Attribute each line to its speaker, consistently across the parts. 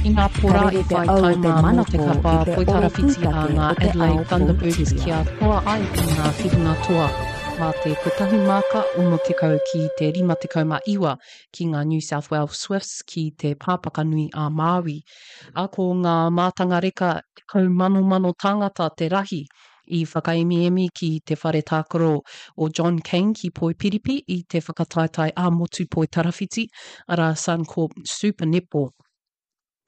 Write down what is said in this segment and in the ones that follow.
Speaker 1: Inapō
Speaker 2: Ka
Speaker 1: rā
Speaker 2: rere
Speaker 1: i
Speaker 2: te
Speaker 1: whai
Speaker 2: au o te
Speaker 1: taima anō te
Speaker 2: manako
Speaker 1: kapa
Speaker 2: i te oro
Speaker 1: poitarawhiti a
Speaker 2: pūtake
Speaker 1: ngā
Speaker 2: o te ao
Speaker 1: Adelaide Thunderbirds
Speaker 2: Pōtiria.
Speaker 1: kia toa ai i ngā whiringa toa mā te kotahi māka 60 ki te 59 ki ngā New South Wales Swifts ki te Pāpakanui a Māui. Ā, ko ngā mātanga reka 10,000 tāngata te rahi i whakaemiemi ki te whare tākaro o John Cain ki Poipiripi i te whakataetae ā-motu poitarawhiti, arā Suncorp Super Netball.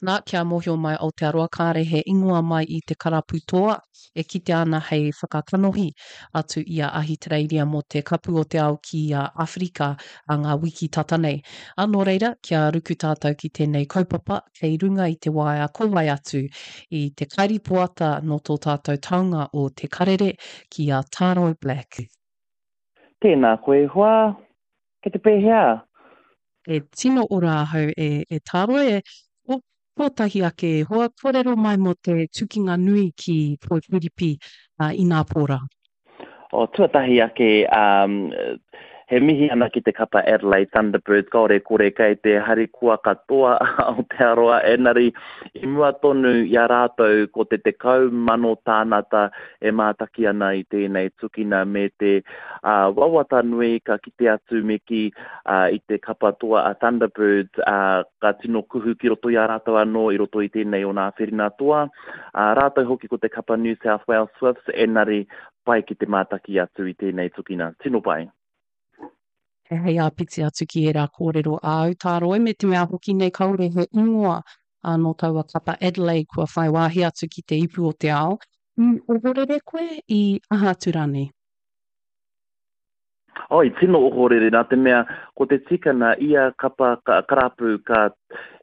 Speaker 1: Nā, kia mōhio mai Aotearoa kāre he ingoa mai i te karapu toa e kitea ana hei whakakanohi atu i a Ahitereiria mō te Kapu o te Ao ki a Awherika a ngā wiki tata nei. Ā, nō reira, kia ruku tātou ki tēnei kaupapa, kei runga i te waea ko wai atu i te kairipoata nō tō tātou taonga o Te Karere ki a Tāroi Black.
Speaker 3: Tēnā koe e hoa, kei te pēhea?
Speaker 1: E tino ora ahau e, e Tāroi, e, o, kōtahi ake e hoa, kōrero mai mō te tukinga nui ki Poipiripi, ā, inapō rā.
Speaker 3: O, tuatahi ake, um, he mihi ana ki te kapa Adelaide Thunderbirds, kaore kore kei te harikoa katoa Aotearoa, enari i mua tonu i a rātou ko te 10,000 tānata e mātaki ana i tēnei tukina me te uh, wawata nui ka kite atu me ki uh, i te kapa toa a Thunderbirds uh, ka tino kuhu ki roto i a rātou anō i roto i tēnei o nā whirina toa. Ā, rātou hoki ko te kapa New South Wales Swifts, enari pai ki te mātaki atu i tēnei tukina. Tino pai.
Speaker 1: Hei āpiti atu ki ērā kōrero āu, Tāroi, me te mea hoki nei kāore he ingoa nō taua kapa Adelaide kua whai wāhi atu ki te ipu o te ao. I ohorere koe, i aha atu rānei?
Speaker 3: Oh, i tino ohorere nā te mea ko te tikana ia kapa ka, karapu ka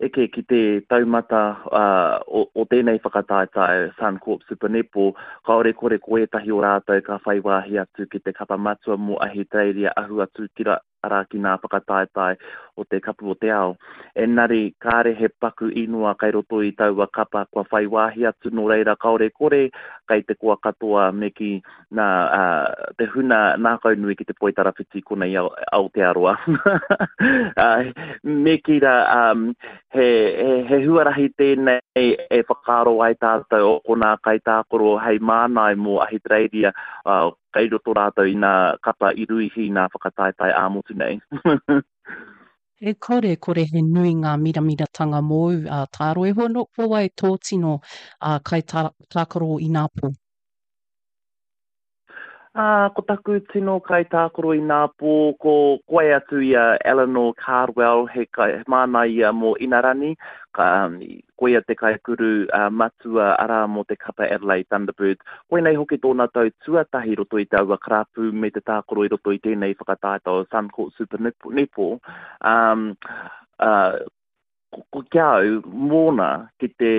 Speaker 3: eke ki te taumata uh, o, o tēnei whakataetae Suncorp Super Netball, kāore kore ko ētahi o rātou ka whai wāhi atu ki te kapa matua mō Ahitereiria ahu atu ki ra, arā ki nā whakataetae o te Kapu o te Ao. Engari, kāre he paku inoa kai roto i taua kapa kua whai wāhi atu nō reira kāore kore kai te koa katoa me kī nā, ā, te huna nākaunui ki te poitarawhiti konei i Aotearoa. Ā, me kī rā, um, he, he, he huarahi tēnei e whakaaro ai tātou o konā kaitākaro hei mānai mō Ahitereiria, ā, kei roto rātou i nā kapa i ruihi i nā whakataetae ā-motu nei.
Speaker 1: E kore, kore he nui ngā miramiratanga mōu, ā, Tāroiho, nō, ko wai tō tino, ā, kaitākaro inapō?
Speaker 3: Ā, ko taku tino kaitākaro inapō, ko koe atu i a Eleanor Cardwell, he kai, he mānai ia mō Inarani, ka, koia te kaikuru matua, arā, mō te kapa Adelaide Thunderbirds. Koinei hoki tōna tau tuatahi i roto i taua karapu me te tākaro i roto i tēnei whakataetae o Suncourt Super Netball. Um, uh, ko ki a au, mōna ki te,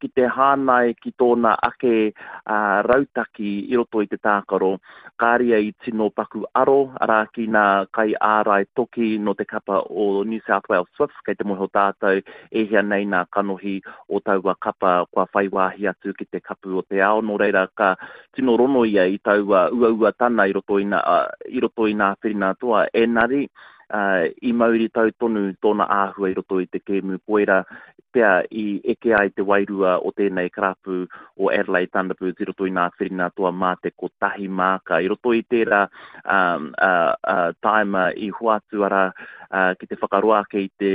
Speaker 3: ki te hānai ki tōna ake rautaki i roto i te tākaro, kāre ia i tino paku aro, arā, ki nā kaiārai toki nō te kapa o New South Wales Swifts, kei te mōhio tātou e hia nei nā kanohi o taua kapa kua whai wāhi atu ki te Kapu o te Ao, nō reira ka tino rono ia i taua uauatana i roto i nā, i roto i nā whiringa toa, engari, i mauritau tonu tōna āhua i roto i te kēmu koira pea i eke ai te wairua o tēnei karapu o Adelaide Thunderbirds i roto i nā whiringa toa mā te kotahi māka. I roto i tērā um, uh, uh, tāima i hoatu ara uh, ki te whakaroa ake i te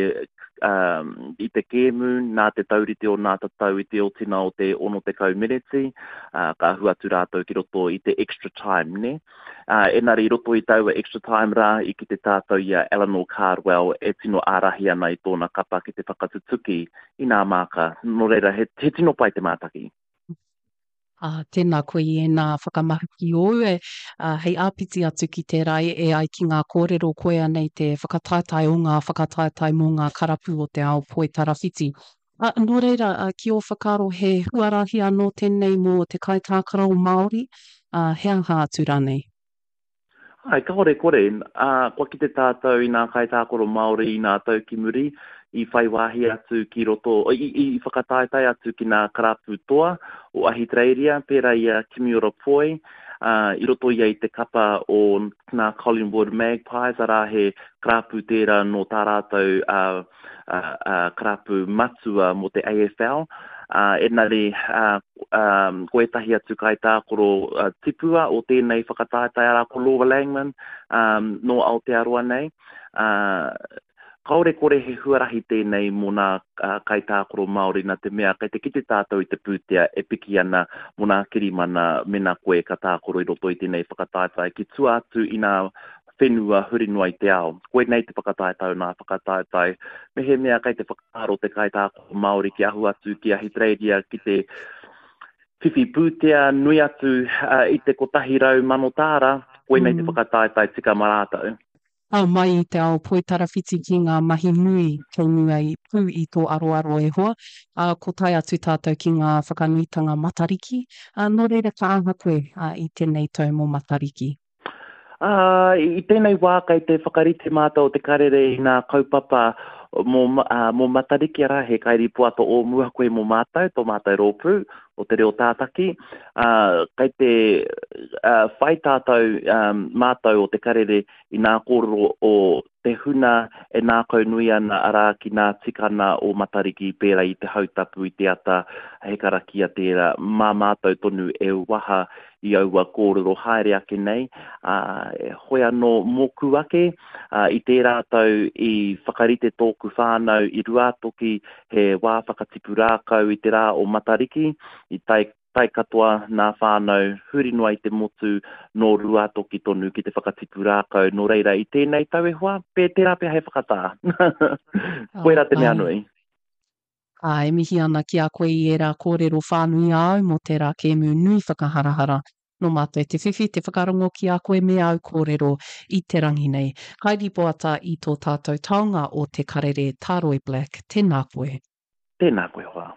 Speaker 3: um, i te kēmu nā te taurite o nā tatau i te otina o te 60 meneti, uh, ka ahu atu rātou ki roto i te extra time, ne? Ā, engari i roto i taua extra time rā, i kite tātou i a Eleanor Cardwell e tino ārahi ana i tōna kapa ki te whakatutuki i nā māka. Nō reira, he, he tino pai te mātaki.
Speaker 1: Ā, tēnā koe i ēnā whakamahuki ōu e, ā, hei āpiti atu ki tērā e, e ai ki ngā kōrero koia nei te whakataetae o ngā whakataetae mō ngā karapu o te ao poitarawhiti. Ā, nō reira, ki ō whakaaro he huarahi anō tēnei mō te kaitākaro Māori, ā, he aha atu rānei?
Speaker 3: Āe, kāore kore. Ā, kua kite tātou i ngā kaitākaro Māori i ngā tau ki muri, i whai wāhi atu ki roto, i, i whakataetae atu ki ngā karapu toa o Ahitereiria, pērā i a Kimiora Poi. I roto ia i te kapa o nā Collingwood Magpies, arā he karapu tērā nō tā rātou karapu matua mō te AFL. Engari, ko ētahi atu kaitākaro tipua o tēnei whakataetae, arā ko Laura Langman, nō Aotearoa nei. Kāore kore he huarahi tēnei mō nā kaitākaro Māori nā te mea kei te kite tātou i te pūtea e piki ana mō nā kirimana mena koe ka tākaro i roto i tēnei whakataetae ki tua atu i nā whenua huri noa i te ao. Koinei te whakataetae o nā whakataetae. Mehemea kei te whakaaro te kaitākaro Māori ki ahu atu ki Ahitereiria ki te whiwhi pūtea nui atu i te 100,000 tāra, koinei te whakataetae tika mā rātou.
Speaker 1: Ao mai i te ao poitarawhiti ki ngā mahi nui kei mua i pū i tō aroaro e hoa, ā, ko tae atu tātou ki ngā whakanuitanga Matariki, ā, nō reira ka aha koe, ā, i tēnei tau mō Matariki?
Speaker 3: Ā, i tēnei wā kei te whakarite mātou o Te Karere i ngā kaupapa mō, ā, mō Matariki, arā, he kairīpoata o mua koe mō mātou, tō mātou rōpū o Te Reo Tātaki, ā, kei te, ā, whai tātou, ā, mātou o Te Karere i nā kōrero o te huna e nākaunui ana, arā, ki nā tikana o Matariki pērā i te hautapu i te ata, he karakia tērā, mā mātou tonu e waha i aua kōrero haere ake nei, ā, hoi anō mōku ake, ā, i tērā tau i whakarite tōku whānau i Ruātoki he wā whakatipu rākau i te rā o Matariki, i tae tae katoa nā whānau huri noa i te motu nō Ruātoki tonu ki te whakatipu rākau, nō reira i tēnei tau e hoa, pē tērā pea hei whakatā. Koirā te mea nui.
Speaker 1: Ā, e mihi ana ki a koe i ērā kōrero whānui āu mō tērā kēmu nui whakaharahara. Nō mātou te whiwhi te whakarongo ki a koe me āu kōrero i te rangi nei. Kai ripoata i tō tātou taonga o Te Karere, Tāroi Black, tēnā koe.
Speaker 3: Tēnā koe hoa.